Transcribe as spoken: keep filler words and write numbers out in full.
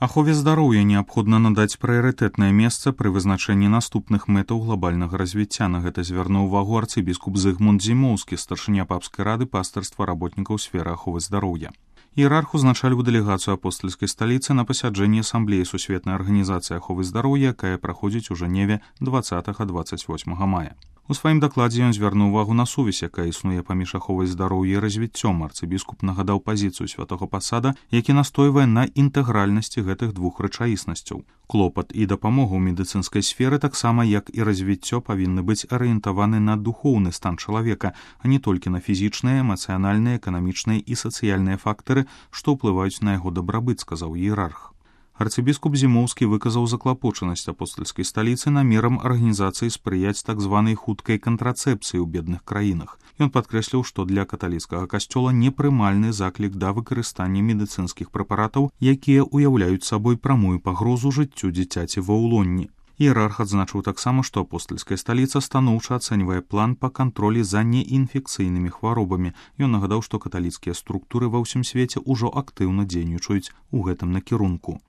Ахове здароўя неабходна надаць прыярытэтнае месца пры вызначэнні наступных мэтаў глобальнага развіцця. На гэта звярнуў увагу арцыбіскуп Зыгмунд Зімоўскі, старшыня папскай рады пастырства работнікаў сферы аховы здароўя. Іерарх узначаліў дэлегацыю апостальскай сталіцы на пасяджэнні асамблеі сусветнай арганізацыі аховы здароўя, якая праходзіць у Жэневе дваццатага - дваццаць восьмага мая. У сваім дакладзе ён звярнуў увагу на сувязь, якая існуе паміж аховай здароўя і развіццём. Арцыбіскуп нагадаў пазіцыю святога пасада, які настойвае на інтэгральнасці гэтых двух рэчаіснасцяў. Клопат і дапамога ў медыцынскай сферы, таксама як і развіццё, павінны быць арыентаваны на духоўны стан чалавека, а не толькі на фізічныя, эмацыянальныя, эканамічныя і сацыяльныя фактары, што ўплываюць на яго дабрабыт, сказаў іерарх. Арцыбіскуп Зімоўскі выказаў заклапочанасць апостальскай сталіцы намерам арганізацыі спрыяць так званай хуткай кантрацэпцыі ў бедных краінах. Ён падкрэсліў, што для каталіцкага касцёла непрымальны заклік да выкарыстання медыцынскіх прэпаратаў, якія ўяўляюць сабой прамую пагрозу жыццю дзіцяці ва ўлонні. Іерарх адзначыў таксама, што апостальская сталіца станоўча ацэньвае план па кантролі за неінфекцыйнымі хваробамі. Ён нагадаў, што каталіцкія структуры ва ўсім свеце ўжо актыўна дзейнічаюць у гэтым накірунку.